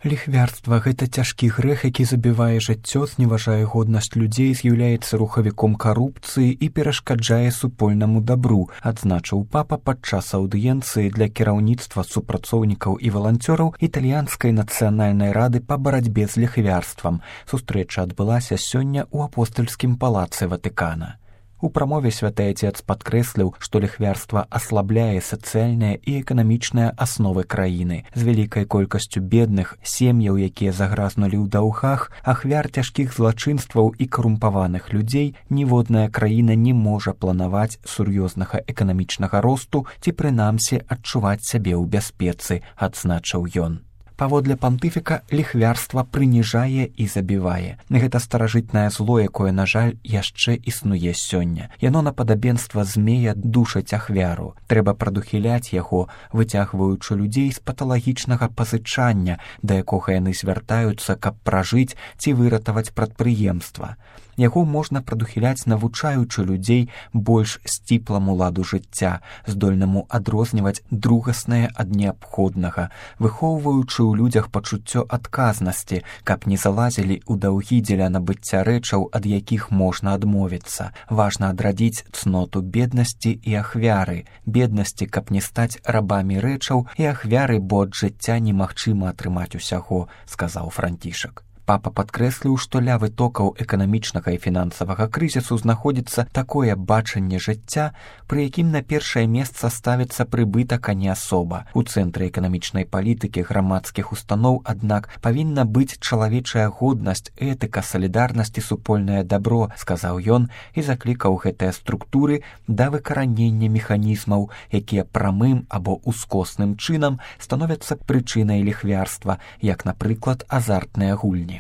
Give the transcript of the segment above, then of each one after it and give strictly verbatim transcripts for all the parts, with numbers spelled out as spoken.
Ліхвярства – гэта цяжкі грэх, які забівае жыццё, зневажае годнасць людзей, з'яўляецца рухавіком карупцыі і перашкаджае супольнаму дабру, адзначыў папа падчас аўдыенцыі для кіраўніцтва, супрацоўнікаў і валанцёраў італьянскай нацыянальнай рады па барацьбе з ліхвярствам. Сустрэча адбылася сёння ў апостальскім палацы Ватыкана. У прамове святы Отец падкрэсліў, што ліхвярства аслабляе сацыяльныя і эканамічныя асновы краіны. З вялікай колькасцю бедных, сем'яў, якія загразнулі ў даўгах, ахвяр цяжкіх злачынстваў і карумпаваных людзей, ніводная краіна не можа планаваць сур'ёзнага эканамічнага росту ці прынамсі адчуваць сябе ў бяспецы, адзначыў ён. Паводле пантыфіка, ліхвярства прыніжае і забівае. Гэта старажытнае зло, якое, на жаль, яшчэ існуе сёння. Яно на падабенства змея душыць ахвяру. Трэба прадухіляць яго, выцягваючы людзей з паталагічнага пазычання, да якога яны звяртаюцца, каб пражыць ці выратаваць прадпрыемства. Яго можна прадухіляць, навучаючы людзей больш сціпламу ладу жыцця, здольнаму адрозніваць другаснае ад неабходнага, выхоўваючы ў людзях пачуццё адказнасці, каб не залазілі ў даўгі дзеля набыцця рэчаў, ад якіх можна адмовіцца. Важна адрадзіць цноту беднасці і ахвяры. Беднасці, каб не стаць рабамі рэчаў, і ахвяры, бо ад жыцця немагчыма атрымаць усяго, сказаў Францішак. Папа падкрэсліў, што ля вытокаў эканамічнага і фінансавага крызісу знаходзіцца такое бачанне жыцця, пры якім на першае месца ставіцца прыбытак, а не асоба. У цэнтры эканамічнай палітыкі грамадскіх устаноў, аднак, павінна быць чалавечая годнасць, этыка, салідарнасць і супольнае дабро, сказаў ён і заклікаў гэтыя структуры да выкаранення механізмаў, якія прамым або ускосным чынам становяцца прычынай ліхвярства, як, напрыклад, азартныя гульні.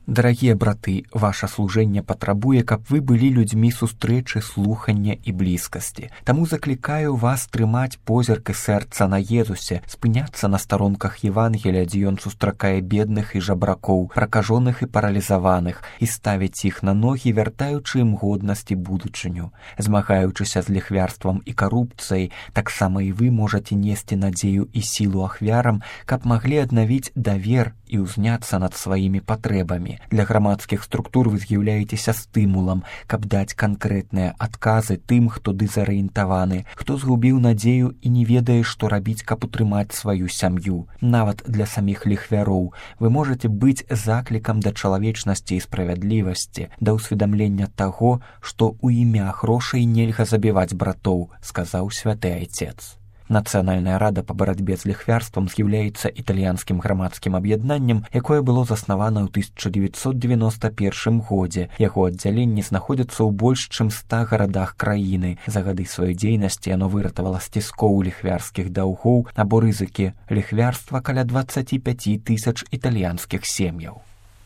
Дарагія браты, ваша служэнне патрабуе, каб вы былі людзьмі сустрэчы, слухання і блізкасці. Таму заклікаю вас трымаць позірк і сэрца на Езусе, спыняцца на старонках Евангелія, дзе ён сустракае бедных і жабракоў, пракажоных і паралізаваных, і ставіць іх на ногі, вяртаючы ім годнасць і будучыню. Змагаючыся з ліхвярствам і карупцыяй, таксама і вы можаце несці надзею і сілу ахвярам, каб маглі аднавіць давер і ўзняцца над сваімі патрэбамі. Для грамадскіх структур вы з'яўляецеся стымулам, каб даць канкрэтныя адказы тым, хто дызарыентаваны, хто згубіў надзею і не ведае, што рабіць, каб утрымаць сваю сям'ю. Нават для саміх ліхвяроў вы можаце быць заклікам да чалавечнасці і справядлівасці, да ўсведамлення таго, што ў імя грошай нельга забіваць братоў, сказаў святы Отец. Нацыянальная рада па барацьбе з ліхвярствам з'яўляецца італьянскім грамадскім аб'яднаннем, якое было заснавана ў тысяча дзевяцьсот девяносто первым годзе. Яго аддзяленні знаходзяцца ў больш чым ста гарадах краіны. За гады сваёй дзейнасці яно выратавала з ціскоў ліхвярскіх даўгоў або рызыкі ліхвярства каля дваццаць пяць тысяч італьянскіх сем'яў.